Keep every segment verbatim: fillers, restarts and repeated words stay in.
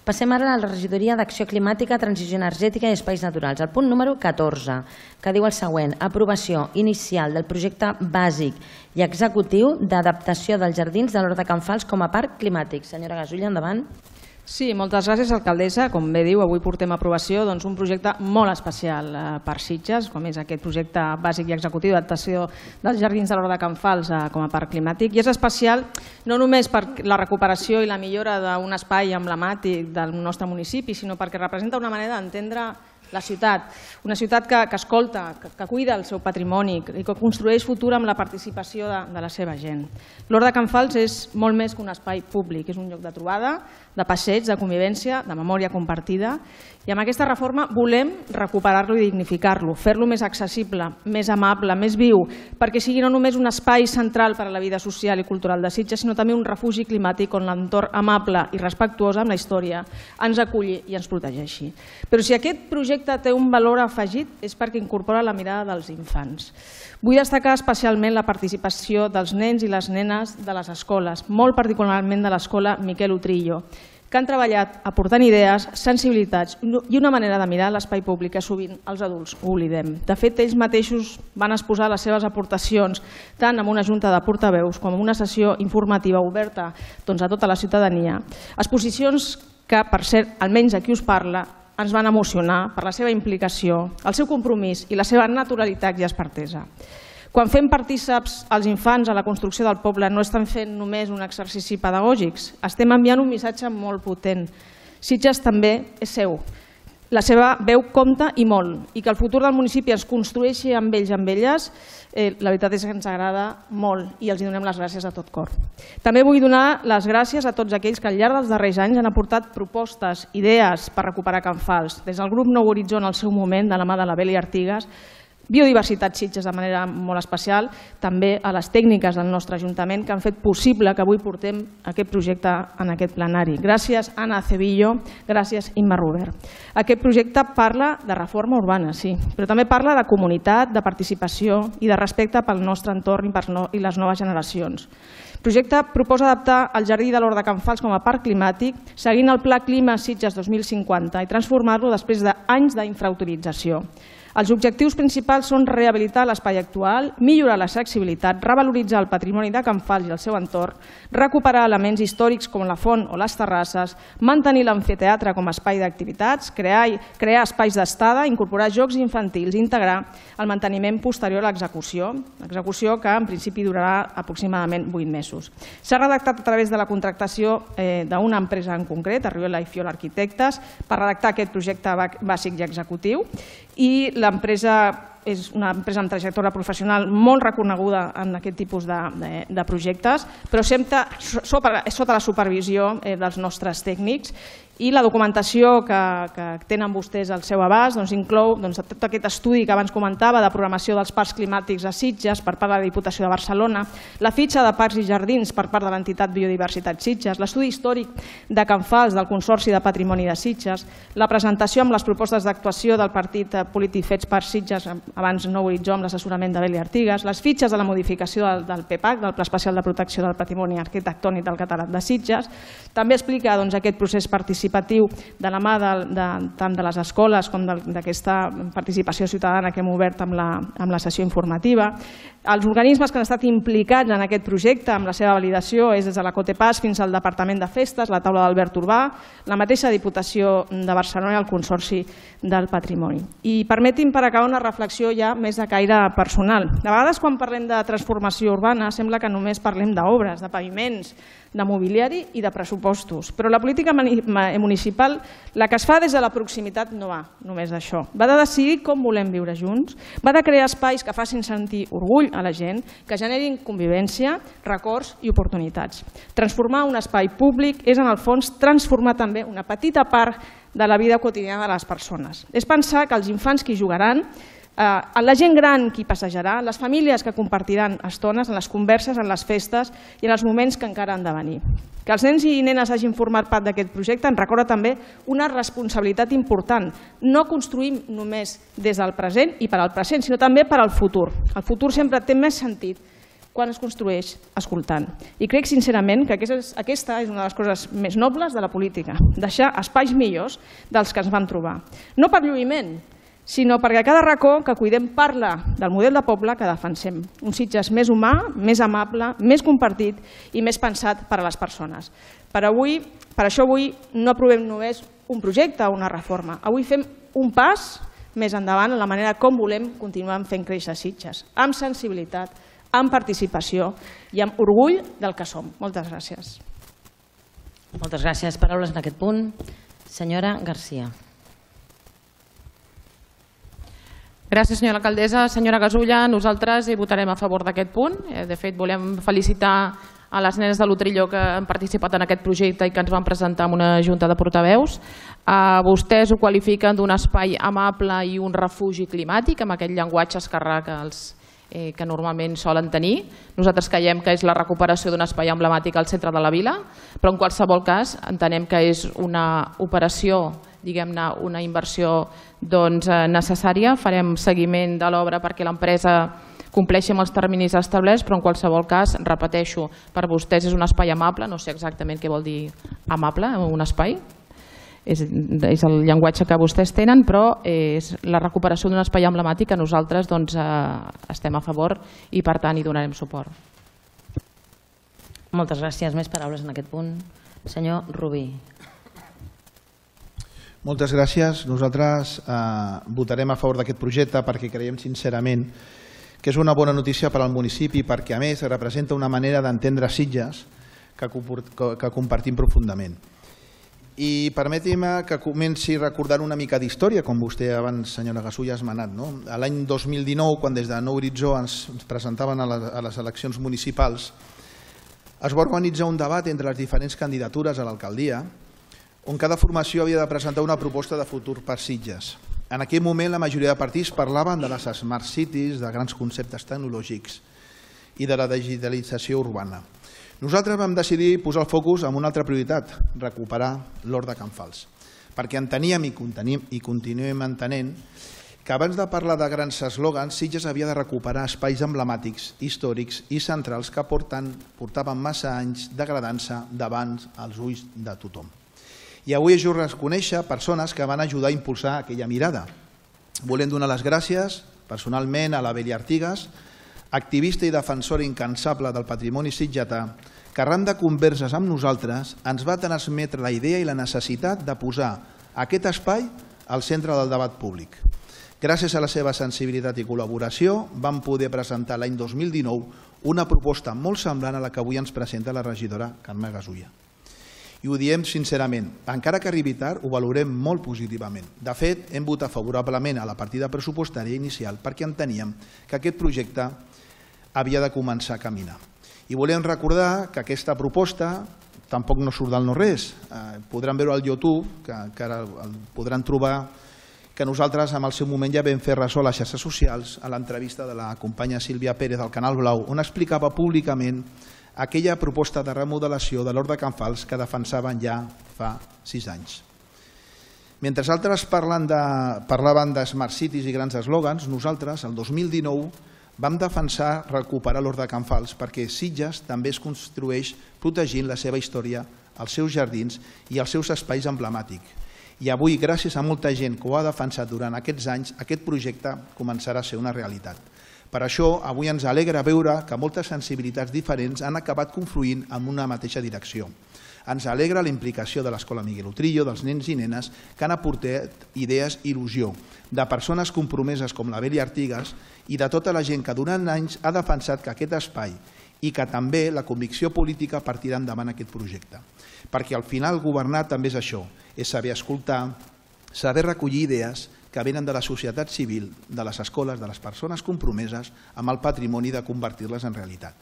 Passem ara a la regidoria d'Acció Climàtica, Transició Energètica i Espais Naturals. El punt número catorze, que diu el següent: aprovació inicial del projecte bàsic i executiu d'adaptació dels jardins de l'Hort de Can Fals com a parc climàtic. Senyora Gasulla, endavant. Sí, moltes gràcies, alcaldessa. Com bé diu, avui portem a aprovació un projecte molt especial per Sitges, com és aquest projecte bàsic i executiu d'adaptació dels jardins de l'Hort de Can Fals com a parc climàtic. I és especial no només per la recuperació i la millora d'un espai emblemàtic del nostre municipi, sinó perquè representa una manera d'entendre la ciutat, una ciutat que escolta, que cuida el seu patrimoni i que construeix futur amb la participació de la seva gent. L'Hort de Can Fals és molt més que un espai públic, és un lloc de trobada, de passeig, de convivència, de memòria compartida, i amb aquesta reforma volem recuperar-lo i dignificar-lo, fer-lo més accessible, més amable, més viu, perquè sigui no només un espai central per a la vida social i cultural de Sitges, sinó també un refugi climàtic on l'entorn amable i respectuós amb la història ens aculli i ens protegeixi. Però si aquest projecte té un valor afegit és perquè incorpora la mirada dels infants. Vull destacar especialment la participació dels nens i les nenes de les escoles, molt particularment de l'escola Miquel Utrillo, que han treballat aportant idees, sensibilitats i una manera de mirar l'espai públic que sovint els adults oblidem. De fet, ells mateixos van exposar les seves aportacions tant en una junta de portaveus com en una sessió informativa oberta a tota la ciutadania. Exposicions que, per cert, almenys a qui us parla, ens van emocionar per la seva implicació, el seu compromís i la seva naturalitat i expertesa. Quan fem partíceps els infants a la construcció del poble no estem fent només un exercici pedagògic, estem enviant un missatge molt potent. Sitges també és seu. La seva veu compta i molt, i que el futur del municipi es construeixi amb ells i amb elles, la veritat és que ens agrada molt i els donem les gràcies de tot cor. També vull donar les gràcies a tots aquells que al llarg dels darrers anys han aportat propostes, idees per recuperar Can Fals, des del grup Nou Horitzó en el seu moment, de la mà de la Beli Artigas, Biodiversitat Sitges de manera molt especial, també a les tècniques del nostre Ajuntament que han fet possible que avui portem aquest projecte en aquest plenari. Gràcies, Anna Acevillo, gràcies, Imma Robert. Aquest projecte parla de reforma urbana, sí, però també parla de comunitat, de participació i de respecte pel nostre entorn i les noves generacions. El projecte proposa adaptar el jardí de l'Hort de Can Fals com a parc climàtic seguint el Pla Clima Sitges dos mil cinquanta i transformar-lo després d'anys d'infrautilització. Els objectius principals són rehabilitar l'espai actual, millorar l'accessibilitat, revaloritzar el patrimoni de Can Fals i el seu entorn, recuperar elements històrics com la font o les terrasses, mantenir l'amfiteatre com a espai d'activitats, crear espais d'estada, incorporar jocs infantils i integrar el manteniment posterior a l'execució, l'execució que en principi durarà aproximadament vuit mesos. S'ha redactat a través de la contractació d'una empresa en concret, Arriola i Fiol Arquitectes, per redactar aquest projecte bàsic i executiu, i l'empresa és una empresa amb trajectòria professional molt reconeguda en aquest tipus de projectes, però sempre sota la supervisió dels nostres tècnics, i la documentació que tenen vostès al seu abast inclou tot aquest estudi que abans comentava de programació dels parcs climàtics a Sitges per part de la Diputació de Barcelona, la fitxa de parcs i jardins per part de l'entitat Biodiversitat Sitges, l'estudi històric de Can Fals del Consorci de Patrimoni de Sitges, la presentació amb les propostes d'actuació del partit polític Fets per Sitges, abans Nou Horitzó amb l'assessorament de Beli Artigas, les fitxes de la modificació del P P A C, del Pla Especial de Protecció del Patrimoni Arquitectònic del Catedrat de Sitges. També explica aquest procés participatiu de la mà tant de les escoles com d'aquesta participació ciutadana que hem obert amb la sessió informativa. Els organismes que han estat implicats en aquest projecte amb la seva validació és des de la Cotepas fins al Departament de Festes, la taula d'Albert Urbà, la mateixa Diputació de Barcelona i el Consorci del Patrimoni. I permetin per acabar una reflexió ja més de caire personal. De vegades quan parlem de transformació urbana sembla que només parlem d'obres, de paviments, de mobiliari i de pressupostos, però la política municipal, la que es fa des de la proximitat, no va només d'això. Va de decidir com volem viure junts, va de crear espais que facin sentir orgull a la gent, que generin convivència, records i oportunitats. Transformar un espai públic és, en el fons, transformar també una petita part de la vida quotidiana de les persones. És pensar que els infants que hi jugaran, la gent gran qui passejarà, les famílies que compartiran estones en les converses, en les festes i en els moments que encara han de venir. Que els nens i nenes hagin format part d'aquest projecte ens recorda també una responsabilitat important. No construïm només des del present i per al present, sinó també per al futur. El futur sempre té més sentit quan es construeix escoltant. I crec sincerament que aquesta és una de les coses més nobles de la política, deixar espais millors dels que ens vam trobar. No per lluïment, sinó perquè cada racó que cuidem parla del model de poble que defensem. Un Sitges més humà, més amable, més compartit i més pensat per a les persones. Per això avui no aprovem només un projecte o una reforma. Avui fem un pas més endavant en la manera com volem continuar fent créixer Sitges, amb sensibilitat, amb participació i amb orgull del que som. Moltes gràcies. Moltes gràcies. Paraules en aquest punt. Senyora Garcia. Gràcies, senyora alcaldessa. Senyora Gasulla, nosaltres hi votarem a favor d'aquest punt. De fet, volem felicitar a les nenes de l'Utrillo que han participat en aquest projecte i que ens van presentar en una junta de portaveus. Vostès ho qualifiquen d'un espai amable i un refugi climàtic, amb aquest llenguatge esquerrà que els que normalment solen tenir. Nosaltres creiem que és la recuperació d'un espai emblemàtic al centre de la vila, però en qualsevol cas entenem que és una operació, diguem-ne, una inversió necessària. Farem seguiment de l'obra perquè l'empresa compleixi amb els terminis establerts, però en qualsevol cas, repeteixo, per vostès és un espai amable, no sé exactament què vol dir amable, un espai, és el llenguatge que vostès tenen, però és la recuperació d'un espai emblemàtic que nosaltres estem a favor i per tant hi donarem suport. Moltes gràcies. Més paraules en aquest punt. Senyor Rubí. Moltes gràcies. Nosaltres votarem a favor d'aquest projecte perquè creiem sincerament que és una bona notícia per al municipi perquè a més representa una manera d'entendre Sitges que compartim profundament. I permeti'm que comenci recordant una mica d'història, com vostè abans, senyora Gasulla, ha esmenat. L'any dos mil dinou, quan des de Nou Horitzó ens presentaven a les eleccions municipals, es va organitzar un debat entre les diferents candidatures a l'alcaldia, on cada formació havia de presentar una proposta de futur per Sitges. En aquell moment, la majoria de partits parlaven de les smart cities, de grans conceptes tecnològics i de la digitalització urbana. Nosaltres vam decidir posar el focus en una altra prioritat, recuperar l'Hort de Can Fals, perquè enteníem i continuem entenent que abans de parlar de grans eslògans, Sitges havia de recuperar espais emblemàtics, històrics i centrals que portaven massa anys degradant-se davant els ulls de tothom. I avui és just reconèixer persones que van ajudar a impulsar aquella mirada. Volem donar les gràcies personalment a la Beli Artigas, activista i defensora incansable del patrimoni sitgetà, que arran de converses amb nosaltres ens va transmetre la idea i la necessitat de posar aquest espai al centre del debat públic. Gràcies a la seva sensibilitat i col·laboració vam poder presentar l'any dos mil dinou una proposta molt semblant a la que avui ens presenta la regidora Carme Gasulla. I ho diem sincerament, encara que arribi tard, ho valorem molt positivament. De fet, hem votat favorablement a la partida pressupostària inicial perquè enteníem que aquest projecte havia de començar a caminar. I volem recordar que aquesta proposta tampoc no surt del no-res. Podran veure al YouTube, que ara podran trobar que nosaltres en el seu moment ja vam fer ressò a les xarxes socials a l'entrevista de la companya Sílvia Pérez del Canal Blau, on explicava públicament aquella proposta de remodelació de l'Hort de Can Fals que defensaven ja fa sis anys. Mentre altres parlaven de Smart Cities i grans eslògans, nosaltres, el dos mil dinou, vam defensar recuperar l'Hort de Can Fals perquè Sitges també es construeix protegint la seva història, els seus jardins i els seus espais emblemàtics. I avui, gràcies a molta gent que ho ha defensat durant aquests anys, aquest projecte començarà a ser una realitat. Per això, avui ens alegra veure que moltes sensibilitats diferents han acabat confluint en una mateixa direcció. Ens alegra la implicació de l'Escola Miguel Utrillo, dels nens i nenes que han aportat idees i il·lusió, de persones compromeses com la Beli Artigas i de tota la gent que durant anys ha defensat que aquest espai i que també la convicció política partirà endavant aquest projecte. Perquè al final governar també és això, és saber escoltar, saber recollir idees que venen de la societat civil, de les escoles, de les persones compromeses amb el patrimoni de convertir-les en realitat.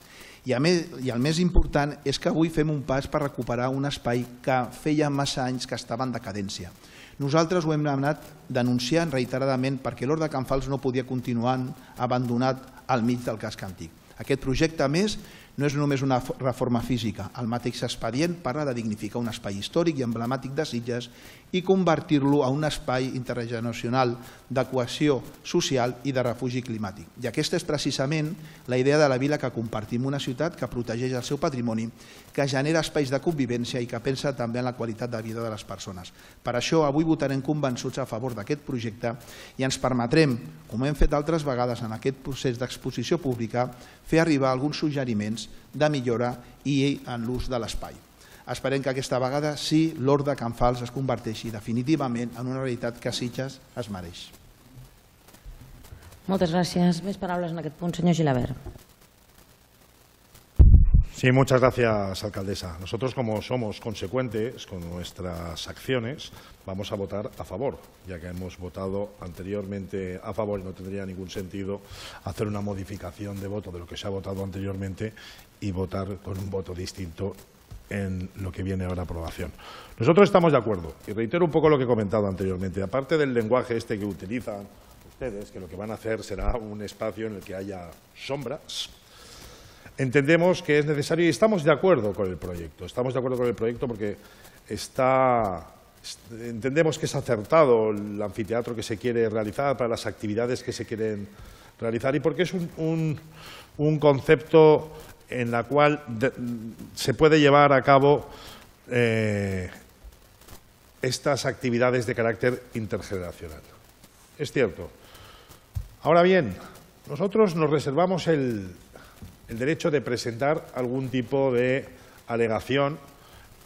I el més important és que avui fem un pas per recuperar un espai que feia massa anys que estava en decadència. Nosaltres ho hem anat denunciant reiteradament perquè l'Hort de Can Fals no podia continuar abandonat al mig del casc antic. Aquest projecte, a més, No és només una reforma física. El mateix expedient parla de dignificar un espai històric i emblemàtic de Sitges i convertir-lo en un espai intergeneracional de cohesió social i de refugi climàtic. I aquesta és precisament la idea de la vila, que compartim una ciutat que protegeix el seu patrimoni, que genera espais de convivència i que pensa també en la qualitat de vida de les persones. Per això avui votarem convençuts a favor d'aquest projecte i ens permetrem, com hem fet altres vegades en aquest procés d'exposició pública, fer arribar alguns suggeriments de millora i en l'ús de l'espai. Esperem que aquesta vegada sí l'Hort de Can Fals es converteixi definitivament en una realitat que Sitges es mereix. Moltes gràcies. Més paraules en aquest punt, senyor Gilabert. Sí, muchas gracias, alcaldesa. Nosotros, como somos consecuentes con nuestras acciones, vamos a votar a favor, ya que hemos votado anteriormente a favor y no tendría ningún sentido hacer una modificación de voto de lo que se ha votado anteriormente y votar con un voto distinto en lo que viene ahora a aprobación. Nosotros estamos de acuerdo, y reitero un poco lo que he comentado anteriormente, aparte del lenguaje este que utilizan ustedes, que lo que van a hacer será un espacio en el que haya sombras. Entendemos que es necesario y estamos de acuerdo con el proyecto. Estamos de acuerdo con el proyecto porque está, entendemos que es acertado el anfiteatro que se quiere realizar para las actividades que se quieren realizar y porque es un, un, un concepto en la cual de, se puede llevar a cabo eh, estas actividades de carácter intergeneracional. Es cierto. Ahora bien, nosotros nos reservamos el, el derecho de presentar algún tipo de alegación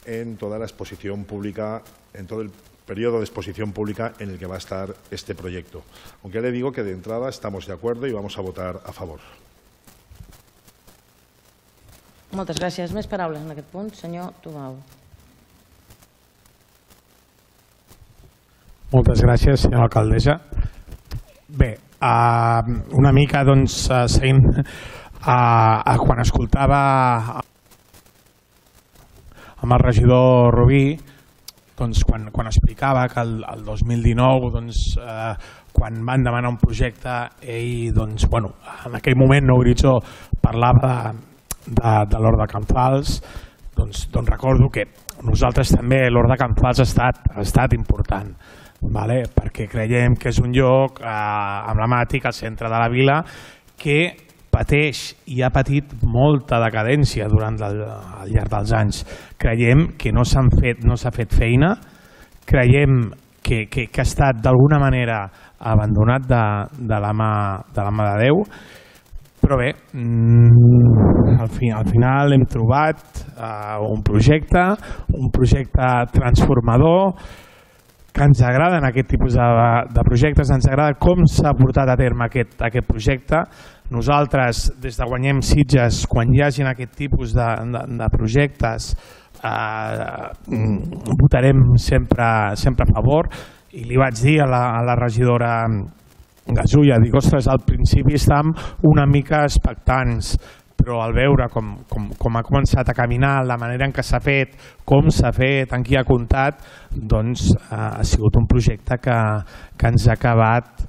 en toda la exposición pública, en todo el periodo de exposición pública en el que va a estar este proyecto. Aunque le digo que de entrada estamos de acuerdo y vamos a votar a favor. Moltes gràcies. Més paraules en aquest punt. Senyor Tomau. Moltes gràcies, senyora alcaldessa. Bé, una mica, doncs, seguint, quan escoltava amb el regidor Rubí, doncs, quan, quan explicava que el, el dos mil dinou, doncs, eh, quan van demanar un projecte, ell, doncs, bueno, en aquell moment, no, Horitzó, parlava de, de, de l'Hort de Can Fals, doncs, doncs recordo que nosaltres també l'Hort de Can Fals ha estat, ha estat important, vale? Perquè creiem que és un lloc eh, emblemàtic al centre de la vila que pateix i ha patit molta decadència durant el, al llarg dels anys. Creiem que no s'han fet, no s'ha fet feina, creiem que, que, que ha estat d'alguna manera abandonat de, de, la mà, de la mà de Déu, però bé, al, fi, al final hem trobat uh, un projecte, un projecte transformador, que ens agraden aquest tipus de, de projectes, ens agrada com s'ha portat a terme aquest, aquest projecte. Nosaltres, des de Guanyem Sitges, quan hi hagin aquest tipus de, de, de projectes, eh, votarem sempre, sempre a favor. I li vaig dir a la, a la regidora Gasulla, dic, ostres, al principi estàvem una mica expectants, però al veure com, com, com ha començat a caminar, la manera en què s'ha fet, com s'ha fet, en qui ha comptat, doncs eh, ha sigut un projecte que, que ens ha acabat,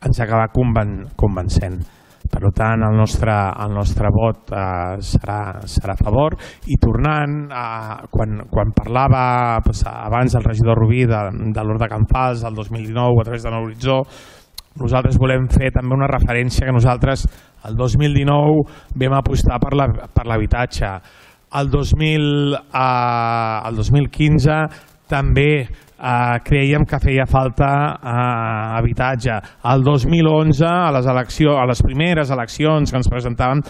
ens ha acabat conven, convencent. Per tant, el nostre, el nostre vot eh, serà, serà a favor. I tornant, eh, quan, quan parlava pues, abans el regidor Rubí de, de l'Hort de Can Fals, el dos mil dinou, a través de Nou Horitzó, nosaltres volem fer també una referència que nosaltres el dos mil dinou vam apostar per l'habitatge. El dos mil quinze també eh, creiem que feia falta eh, habitatge. El dos mil onze, a les, eleccions, a les primeres eleccions que ens presentàvem,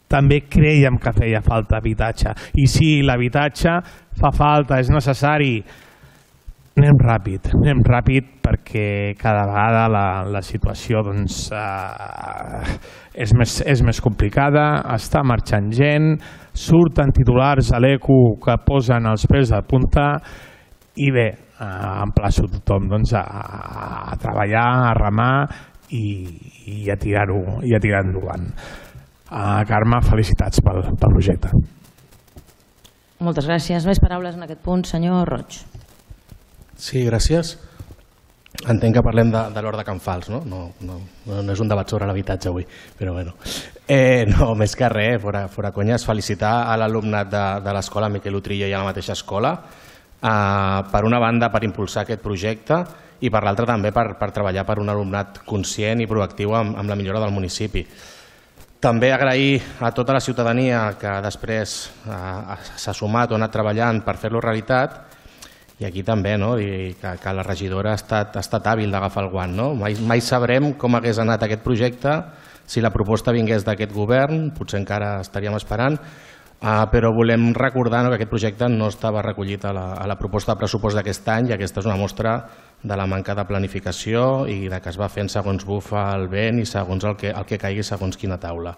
també creiem que feia falta habitatge. I sí, l'habitatge fa falta, és necessari. Anem ràpid, anem ràpid perquè cada vegada la, la situació doncs, eh, és, més, és més complicada, està marxant gent, surten titulars a l'Eco que posen els pèls de punta i bé, eh, emplaço tothom doncs, a, a treballar, a remar i, i a tirar-ho i a tirar endavant. Uh, Carme, felicitats pel, pel projecte. Moltes gràcies. Més paraules en aquest punt, senyor Roig. Sí, gràcies. Entenc que parlem de, de l'Hort de Can Fals, no? No, no? No és un debat sobre l'habitatge avui, però bueno. Eh, no, més que res, fora, fora conyes, felicitar a l'alumnat de, de l'escola Miquel Utrillo i a la mateixa escola, eh, per una banda per impulsar aquest projecte i per l'altra també per, per treballar per un alumnat conscient i proactiu amb, amb la millora del municipi. També agrair a tota la ciutadania que després eh, s'ha sumat o ha anat treballant per fer-lo realitat, i aquí també no? Dir que, que la regidora ha estat, ha estat hàbil d'agafar el guant. No? Mai, mai sabrem com hagués anat aquest projecte si la proposta vingués d'aquest govern, potser encara estaríem esperant, uh, però volem recordar no, que aquest projecte no estava recollit a la, a la proposta de pressupost d'aquest any i aquesta és una mostra de la manca de planificació i de que es va fent segons bufa el vent i segons el que, el que caigui segons quina taula.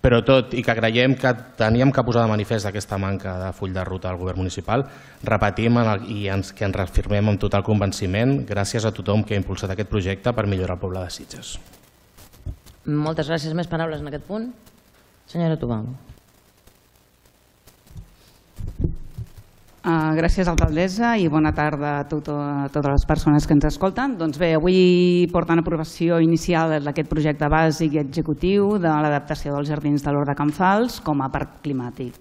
Però tot i que creiem que teníem que posar de manifest aquesta manca de full de ruta al govern municipal, repetim en el, i ens, que ens reafirmem amb total convenciment gràcies a tothom que ha impulsat aquest projecte per millorar el poble de Sitges. Moltes gràcies. Més paraules en aquest punt? Senyora Tubau. Uh, gràcies, alcaldessa, i bona tarda a, tot, a totes les persones que ens escolten. Doncs bé, avui porten aprovació inicial d'aquest projecte bàsic i executiu de l'adaptació dels jardins de l'Hort de Can Fals com a parc climàtic.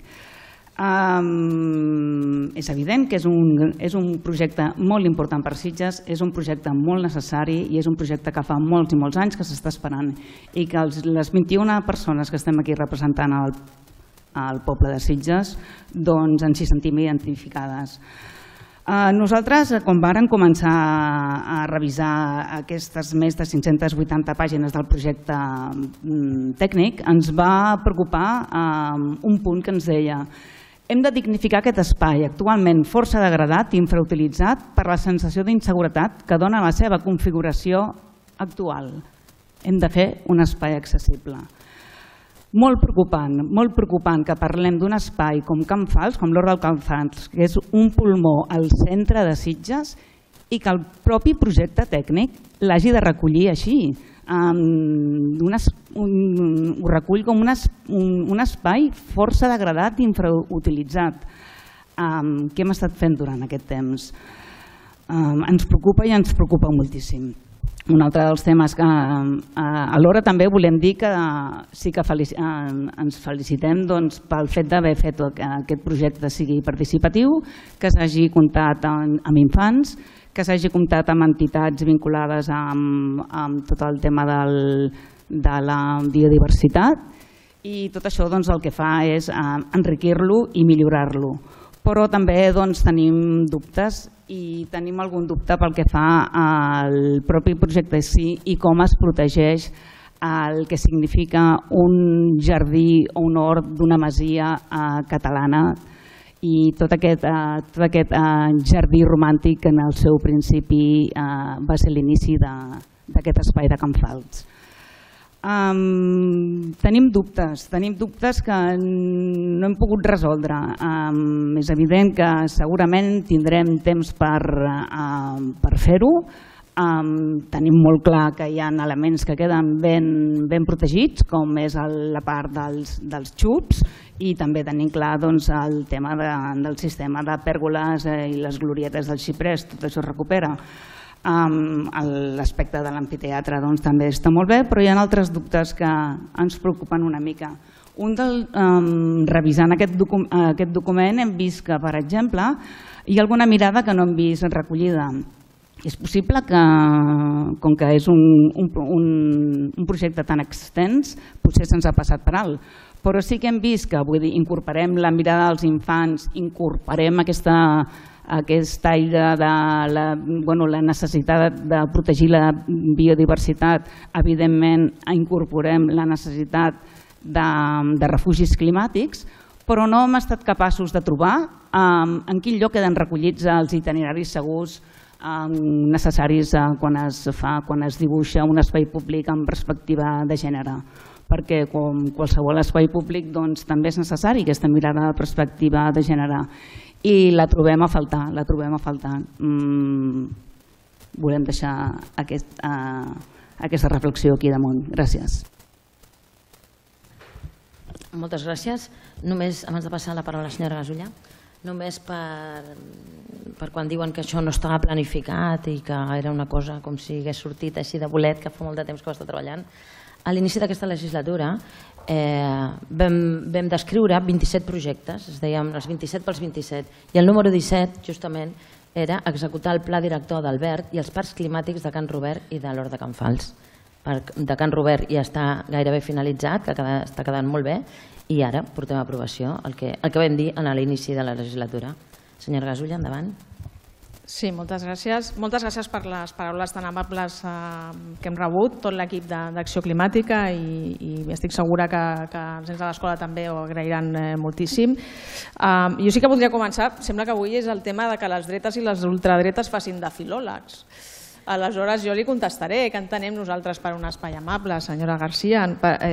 Um, és evident que és un, és un projecte molt important per Sitges, és un projecte molt necessari i és un projecte que fa molts i molts anys que s'està esperant i que els, les vint-i-una persones que estem aquí representant el al poble de Sitges, doncs ens hi sentim identificades. Nosaltres, quan vàrem començar a revisar aquestes més de cinc-centes vuitanta pàgines del projecte tècnic, ens va preocupar un punt que ens deia: hem de dignificar aquest espai, actualment força degradat i infrautilitzat per la sensació d'inseguretat que dona la seva configuració actual. Hem de fer un espai accessible. Molt preocupant, molt preocupant que parlem d'un espai com Can Fals, com l'Hort del Can Fals, que és un pulmó al centre de Sitges i que el propi projecte tècnic l'hagi de recollir així. Um, unes, un, ho recull com un, es, un, un espai força degradat i infrautilitzat. Um, què hem estat fent durant aquest temps? Um, ens preocupa i ens preocupa moltíssim. Un altre dels temes que eh, alhora també volem dir que eh, sí que felici eh, ens felicitem doncs, pel fet d'haver fet que aquest projecte sigui participatiu, que s'hagi comptat amb, amb infants, que s'hagi comptat amb entitats vinculades amb, amb tot el tema del, de la biodiversitat i tot això doncs, el que fa és eh, enriquir-lo i millorar-lo. Però també doncs, tenim dubtes i tenim algun dubte pel que fa al propi projecte sí i com es protegeix el que significa un jardí o un hort d'una masia eh, catalana i tot aquest, eh, tot aquest eh, jardí romàntic que en el seu principi eh, va ser l'inici d'aquest espai de Can Fals. Um, tenim dubtes, tenim dubtes que no hem pogut resoldre. Um, és evident que segurament tindrem temps per, uh, per fer-ho. Um, tenim molt clar que hi ha elements que queden ben, ben protegits, com és el, la part dels, dels xups, i també tenim clar doncs, el tema de, del sistema de pèrgoles eh, i les glorietes del xiprers, tot això es recupera. Um, L'aspecte de l'amfiteatre doncs, també està molt bé, però hi ha altres dubtes que ens preocupen una mica. Un del, um, revisant aquest, docu aquest document hem vist que, per exemple, hi ha alguna mirada que no hem vist recollida. És possible que, com que és un, un, un, un projecte tan extens, potser se'ns ha passat per alt, però sí que hem vist que vull dir, incorporem la mirada dels infants, incorporem aquesta aquest aire de la, bueno, la necessitat de protegir la biodiversitat, evidentment incorporem la necessitat de, de refugis climàtics, però no hem estat capaços de trobar um, en quin lloc queden recollits els itineraris segurs um, necessaris uh, quan, es fa, quan es dibuixa un espai públic amb perspectiva de gènere. Perquè com qualsevol espai públic doncs, també és necessari aquesta mirada de perspectiva de gènere. I la trobem a faltar, la trobem a faltar. Mm, volem deixar aquest, uh, aquesta reflexió aquí damunt. Gràcies. Moltes gràcies. Només, abans de passar la paraula a la senyora Gasulla, només per, per quan diuen que això no estava planificat i que era una cosa com si hagués sortit així de bolet, que fa molt de temps que ho està treballant. A l'inici d'aquesta legislatura vam descriure vint-i-set projectes, es deien els vint-i-set pels vint-i-set, i el número disset, justament, era executar el pla director d'Albert i els parcs climàtics de Can Robert i de l'Hort de Can Fals. El de Can Robert ja està gairebé finalitzat, que està quedant molt bé, i ara portem a aprovació el que vam dir a l'inici de la legislatura. Senyora Gasulla, endavant. Sí, moltes gràcies. Moltes gràcies per les paraules tan amables que hem rebut, tot l'equip d'Acció Climàtica, i estic segura que els nens de l'escola també ho agrairan moltíssim. Jo sí que voldria començar, sembla que avui és el tema que les dretes i les ultradretes facin de filòlegs. Aleshores, jo li contestaré què entenem nosaltres per un espai amable, senyora Garcia.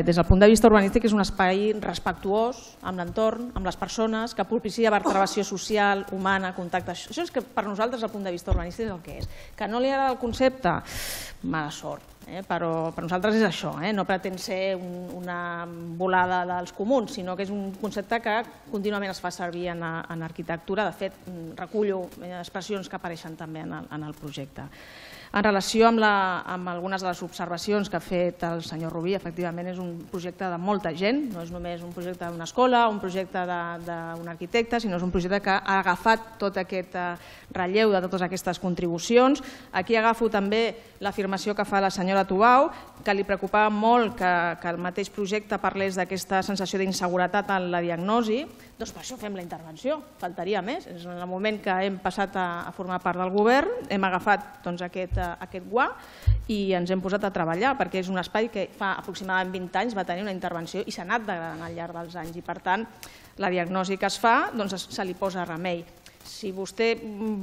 Des del punt de vista urbanístic és un espai respectuós amb l'entorn, amb les persones, que propicia vertebració social, humana, contacte. Això és que per nosaltres, des del punt de vista urbanístic, és el que és. Que no li agrada el concepte? Mala sort. Però per nosaltres és això, no pretén ser una volada dels comuns, sinó que és un concepte que contínuament es fa servir en arquitectura. De fet, recullo expressions que apareixen també en el projecte. En relació amb algunes de les observacions que ha fet el senyor Rubí, efectivament és un projecte de molta gent, no és només un projecte d'una escola o un projecte d'un arquitecte, sinó és un projecte que ha agafat tot aquest relleu de totes aquestes contribucions. Aquí agafo també l'afirmació que fa la senyora Tubau, que li preocupava molt que el mateix projecte parlés d'aquesta sensació d'inseguretat en la diagnosi. Doncs per això fem la intervenció, faltaria més. En el moment que hem passat a formar part del govern, hem agafat aquest aquest guà i ens hem posat a treballar, perquè és un espai que fa aproximadament vint anys va tenir una intervenció i s'ha anat degradant al llarg dels anys, i per tant la diagnosi que es fa se li posa remei. Si vostè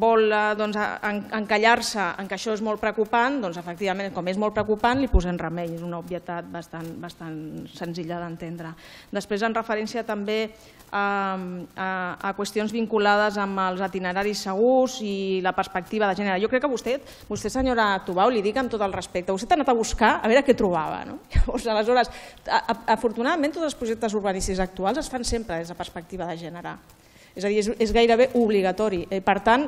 vol encallar-se en que això és molt preocupant, doncs efectivament, com és molt preocupant, li posem remei. És una obvietat bastant senzilla d'entendre. Després, en referència també a qüestions vinculades amb els itineraris segurs i la perspectiva de gènere. Jo crec que vostè, vostè senyora Tubau, li dic amb tot el respecte, vostè ha anat a buscar a veure què trobava. Aleshores, afortunadament, tots els projectes urbanístics actuals es fan sempre des de perspectiva de gènere. És a dir, és gairebé obligatori. Per tant,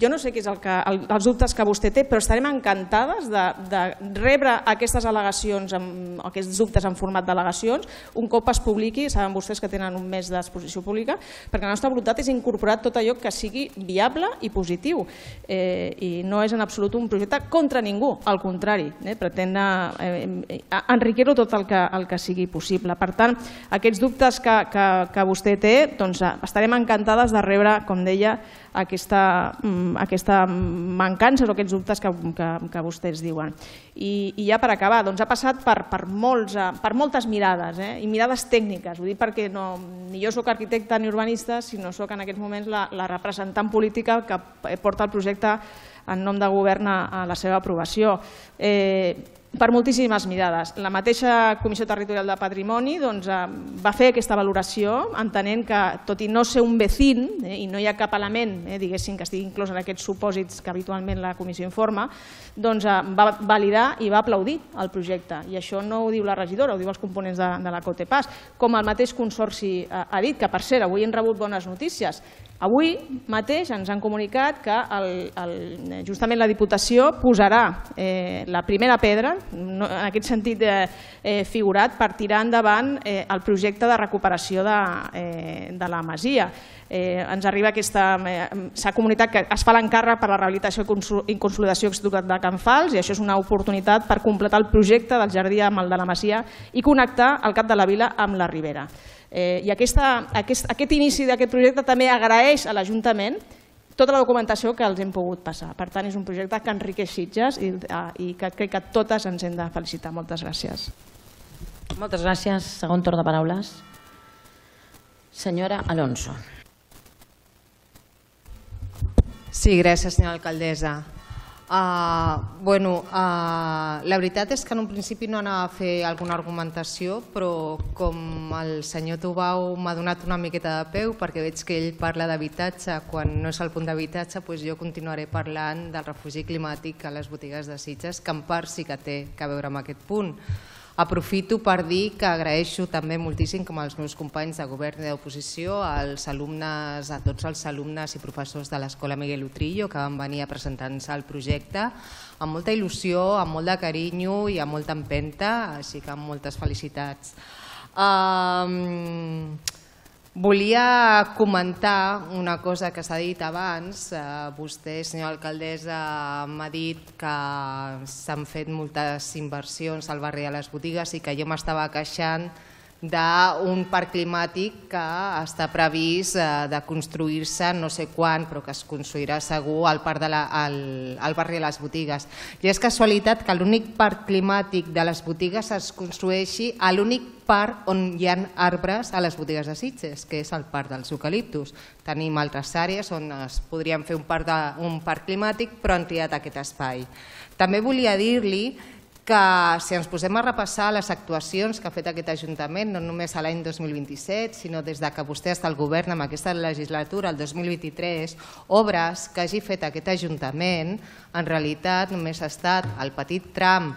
jo no sé què són els dubtes que vostè té, però estarem encantades de rebre aquestes al·legacions, aquests dubtes en format d'al·legacions, un cop es publiqui, saben vostès que tenen un mes d'exposició pública, perquè la nostra voluntat és incorporar tot allò que sigui viable i positiu. I no és en absolut un projecte contra ningú, al contrari, pretén enriquir-ho tot el que sigui possible. Per tant, aquests dubtes que vostè té, estarem encantats encantades de rebre, com deia, aquesta mancança o aquests dubtes que vostès diuen. I ja per acabar, ha passat per moltes mirades, i mirades tècniques. Ho dic perquè ni jo soc arquitecte ni urbanista, sinó soc en aquests moments la representant política que porta el projecte en nom de govern a la seva aprovació. Per moltíssimes mirades. La mateixa Comissió Territorial de Patrimoni va fer aquesta valoració entenent que, tot i no ser un vecín, i no hi ha cap element diguéssim que estigui inclòs en aquests supòsits que habitualment la Comissió informa, va validar i va aplaudir el projecte. I això no ho diu la regidora, ho diu els components de la COTEPAS. Com el mateix Consorci ha dit, que per cert, avui hem rebut bones notícies. Avui mateix ens han comunicat que justament la Diputació posarà la primera pedra, en aquest sentit figurat, per tirar endavant el projecte de recuperació de la masia. Ens arriba aquesta... S'ha comunicat que es fa l'encàrrec per la rehabilitació i consolidació de Can Fals, i això és una oportunitat per completar el projecte del jardí amb el de la masia i connectar el Cap de la Vila amb la Ribera. I aquest inici d'aquest projecte també agraeix a l'Ajuntament tota la documentació que els hem pogut passar. Per tant, és un projecte que enriqueix Sitges i que crec que totes ens hem de felicitar. Moltes gràcies. Moltes gràcies. Segon torn de paraules. Senyora Alonso. Sí, gràcies, senyora alcaldessa. Bueno, la veritat és que en un principi no anava a fer alguna argumentació, però com el senyor Tubau m'ha donat una miqueta de peu, perquè veig que ell parla d'habitatge quan no és el punt d'habitatge, doncs jo continuaré parlant del refugi climàtic a les botigues de Sitges, que en part sí que té a veure amb aquest punt. Aprofito per dir que agraeixo també moltíssim, com els meus companys de govern i d'oposició, als alumnes, a tots els alumnes i professors de l'Escola Miguel Utrillo que van venir a presentar-nos el projecte amb molta il·lusió, amb molt de carinyo i amb molta empenta, així que amb moltes felicitats. Um, volia comentar una cosa que s'ha dit abans. Uh, vostè, senyora alcaldessa, m'ha dit que s'han fet moltes inversions al barri de les Botigues i que jo m'estava queixant d'un parc climàtic que està previst de construir-se no sé quan, però que es construirà segur al, parc de la, al, al barri de les Botigues. I és casualitat que l'únic parc climàtic de les Botigues es construeixi a l'únic parc on hi ha arbres a les Botigues de Sitges, que és el parc dels eucaliptus. Tenim altres àrees on es podrien fer un parc, de, un parc climàtic, però han triat aquest espai. També volia dir-li que si ens posem a repassar les actuacions que ha fet aquest Ajuntament, no només a l'any dos mil vint-i-set, sinó des que vostè està al govern amb aquesta legislatura, el dos mil vint-i-tres, obres que hagi fet aquest Ajuntament, en realitat només ha estat el petit tram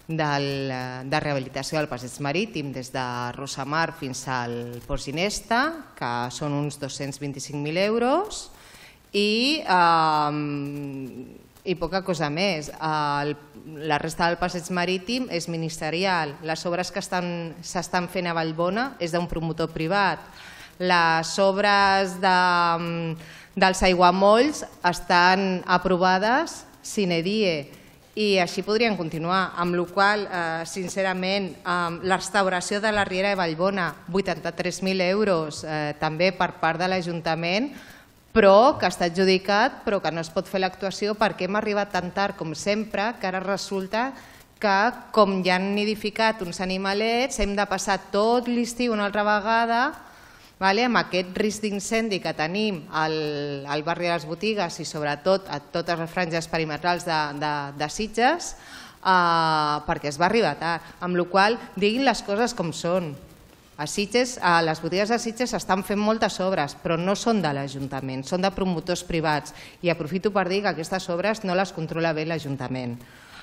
del, de rehabilitació del passeig marítim des de Rosamar fins al Port Ginesta, que són uns dos-cents vint-i-cinc mil euros, i... Eh, i poca cosa més. La resta del passeig marítim és ministerial. Les obres que s'estan fent a Vallbona és d'un promotor privat. Les obres de, dels aiguamolls estan aprovades sine die i així podrien continuar, amb la qual cosa, sincerament, la restauració de la Riera de Vallbona, vuitanta-tres mil euros, també per part de l'Ajuntament, però que està adjudicat, però que no es pot fer l'actuació perquè hem arribat tan tard com sempre que ara resulta que com ja han nidificat uns animalets hem de passar tot l'estiu una altra vegada amb aquest risc d'incendi que tenim al barri de les Botigues i sobretot a totes les franges perimetrals de Sitges perquè es va arribar tard, amb la qual cosa diguin les coses com són. A Sitges, a les Botigues de Sitges s'estan fent moltes obres, però no són de l'Ajuntament, són de promotors privats i aprofito per dir que aquestes obres no les controla bé l'Ajuntament.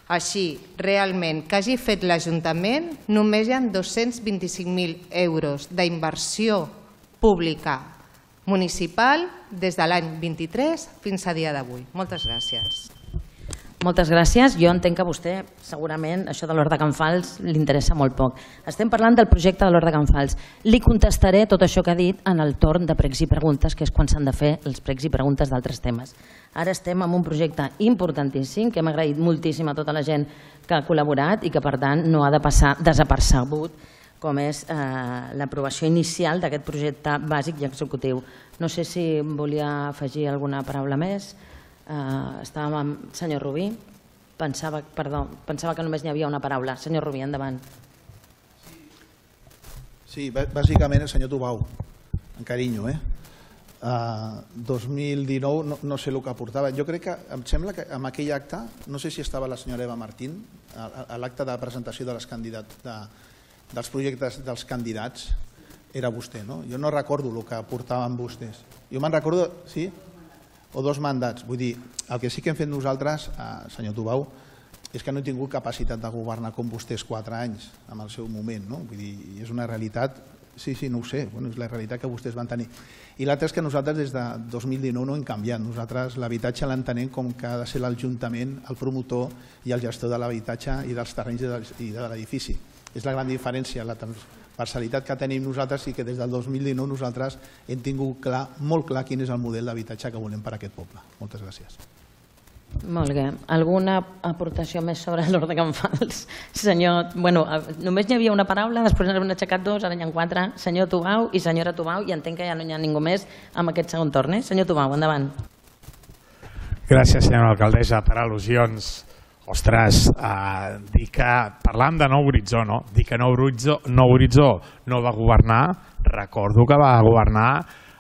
Així, realment, que hagi fet l'Ajuntament, només hi ha dos-cents vint-i-cinc mil euros d'inversió pública municipal des de l'any vint-i-tres fins a dia d'avui. Moltes gràcies. Moltes gràcies. Jo entenc que a vostè, segurament, això de l'Hort de Can Fals li interessa molt poc. Estem parlant del projecte de l'Hort de Can Fals. Li contestaré tot això que ha dit en el torn de pregs i preguntes, que és quan s'han de fer els pregs i preguntes d'altres temes. Ara estem en un projecte importantíssim, que hem agraït moltíssim a tota la gent que ha col·laborat i que, per tant, no ha de passar desapercebut, com és l'aprovació inicial d'aquest projecte bàsic i executiu. No sé si volia afegir alguna paraula més. Estàvem amb el senyor Rubí. Pensava que només n'hi havia una paraula. Senyor Rubí, endavant. Sí, bàsicament el senyor Tubau, en carinyo. dos mil dinou, no sé el que aportava. Jo crec que, em sembla que en aquell acte, no sé si estava la senyora Eva Martín, a l'acte de presentació dels projectes dels candidats, era vostè, no? Jo no recordo el que aportaven vostès. Jo me'n recordo, sí? O dos mandats. Vull dir, el que sí que hem fet nosaltres, senyor Tubau, és que no he tingut capacitat de governar com vostès quatre anys en el seu moment, no? Vull dir, és una realitat, sí, sí, no ho sé, és la realitat que vostès van tenir. I l'altre és que nosaltres des de dos mil dinou no hem canviat. Nosaltres l'habitatge l'entenem com que ha de ser l'Ajuntament, el promotor i el gestor de l'habitatge i dels terrenys i de l'edifici. És la gran diferència, la parcialitat que tenim nosaltres i que des del dos mil dinou nosaltres hem tingut clar, molt clar quin és el model d'habitatge que volem per a aquest poble. Moltes gràcies. Molt bé. Alguna aportació més sobre l'Hort de Can Fals? Senyor, bueno, només hi havia una paraula, després n'han aixecat dos, ara n'hi ha quatre. Senyor Tubau i senyora Tubau, i entenc que ja no hi ha ningú més amb aquest segon torn. Senyor Tubau, endavant. Gràcies, senyora alcaldessa, per al·lusions. Ostres, dir que parlàvem de Nou Horitzó, no? Dir que Nou Horitzó no va governar, recordo que va governar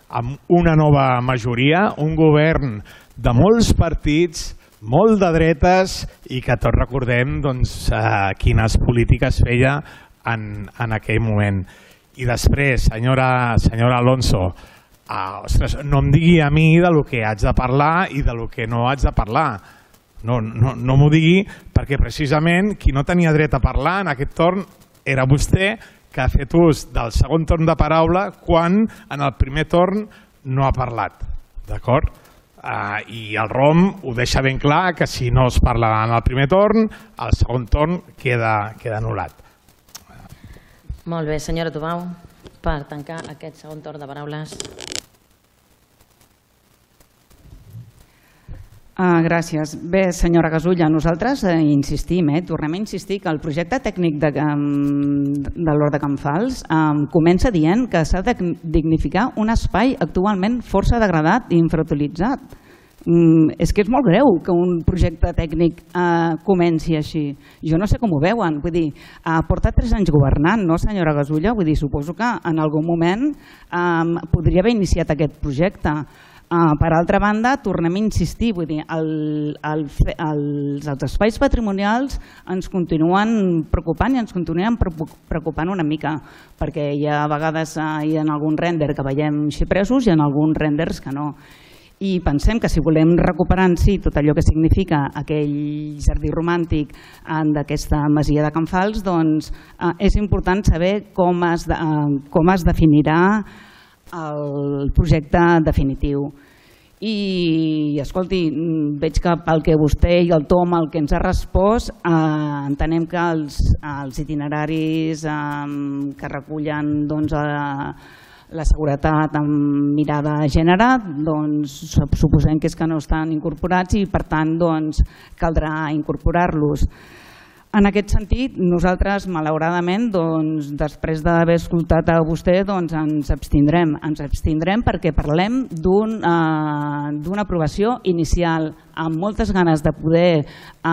amb una nova majoria, un govern de molts partits, molt de dretes i que tots recordem quines polítiques feia en aquell moment. I després, senyora Alonso, no em digui a mi del que haig de parlar i del que no haig de parlar. No m'ho digui perquè precisament qui no tenia dret a parlar en aquest torn era vostè, que ha fet ús del segon torn de paraula quan en el primer torn no ha parlat. D'acord? I el R O M ho deixa ben clar que si no es parla en el primer torn, el segon torn queda anul·lat. Molt bé, senyora Tubau, per tancar aquest segon torn de paraules. Uh, gràcies. Bé, senyora Gasulla, nosaltres eh, insistim, eh, tornem a insistir que el projecte tècnic de, um, de l'Hort de Can Fals um, comença dient que s'ha de dignificar un espai actualment força degradat i infrautilitzat. Um, és que és molt greu que un projecte tècnic uh, comenci així. Jo no sé com ho veuen, vull dir, ha uh, portat tres anys governant, no, senyora Gasulla? Vull dir, suposo que en algun moment um, podria haver iniciat aquest projecte. Uh, per altra banda, tornem a insistir, vull dir, el, el, els, els espais patrimonials ens continuen preocupant i ens continuen preocupant una mica, perquè hi ha a vegades uh, hi ha algun render que veiem xipresos i en alguns renders que no. I pensem que si volem recuperar en si tot allò que significa aquell jardí romàntic d'aquesta masia de Can Fals, doncs uh, és important saber com es, de, uh, com es definirà el projecte definitiu. I, escolti, veig que pel que vostè i el Tom el que ens ha respost, eh, entenem que els, els itineraris eh, que recullen doncs, eh, la seguretat amb mirada de gènere, doncs, suposem que és que no estan incorporats i per tant doncs, caldrà incorporar-los. En aquest sentit, nosaltres, malauradament, doncs, després d'haver escoltat a vostè, doncs, ens abstindrem. Ens abstindrem perquè parlem d'una un, eh, aprovació inicial, amb moltes ganes de poder eh,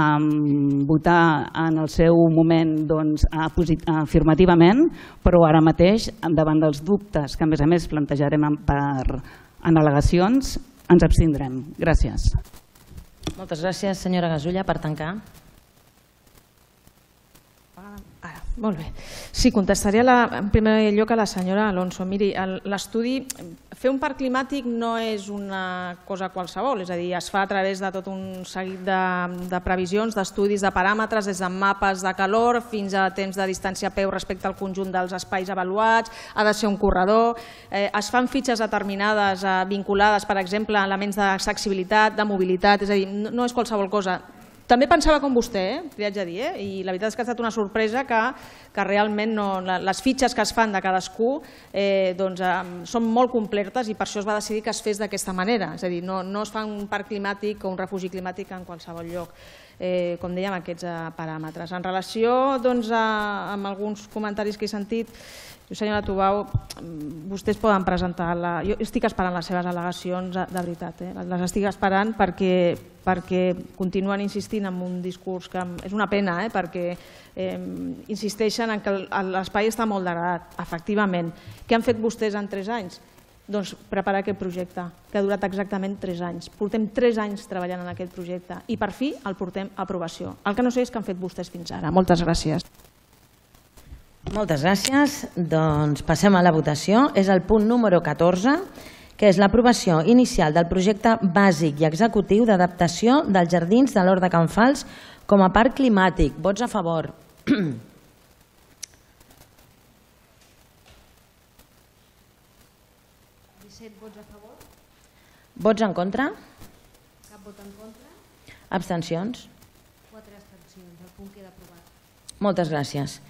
votar en el seu moment doncs, afirmativament, però ara mateix, davant dels dubtes que a més a més plantejarem per, en al·legacions, ens abstindrem. Gràcies. Moltes gràcies, senyora Gasulla, per tancar. Ara, molt bé. Sí, contestaria la, en primer lloc a la senyora Alonso. Miri, l'estudi, fer un parc climàtic no és una cosa qualsevol, és a dir, es fa a través de tot un seguit de, de previsions, d'estudis, de paràmetres, des de mapes de calor fins a temps de distància a peu respecte al conjunt dels espais avaluats, ha de ser un corredor, eh, es fan fitxes determinades eh, vinculades, per exemple, a elements d'accessibilitat, de mobilitat, és a dir, no, no és qualsevol cosa. També pensava com vostè, eh? Li haig de dir, eh? I la veritat és que ha estat una sorpresa que, que realment no, les fitxes que es fan de cadascú eh, doncs, eh, són molt completes i per això es va decidir que es fes d'aquesta manera. És a dir, no, no es fa un parc climàtic o un refugi climàtic en qualsevol lloc. Eh, com dèiem, aquests eh, paràmetres. En relació doncs, a, amb alguns comentaris que he sentit, senyora Tubau, vostès poden presentar, la... jo estic esperant les seves al·legacions de veritat, eh? Les estic esperant perquè, perquè continuen insistint en un discurs que és una pena, eh? Perquè eh, insisteixen en que l'espai està molt degradat, efectivament. Què han fet vostès en tres anys? Doncs preparar aquest projecte, que ha durat exactament tres anys. Portem tres anys treballant en aquest projecte i per fi el portem a aprovació. El que no sé és què han fet vostès fins ara. Moltes gràcies. Moltes gràcies. Doncs passem a la votació. És el punt número catorze, que és l'aprovació inicial del projecte bàsic i executiu d'adaptació dels jardins de l'Hort de Can Fals com a parc climàtic. Vots a favor. disset vots a favor. Vots en contra? Cap vot en contra. Abstencions? Quatre abstencions. El punt queda aprovat. Moltes gràcies.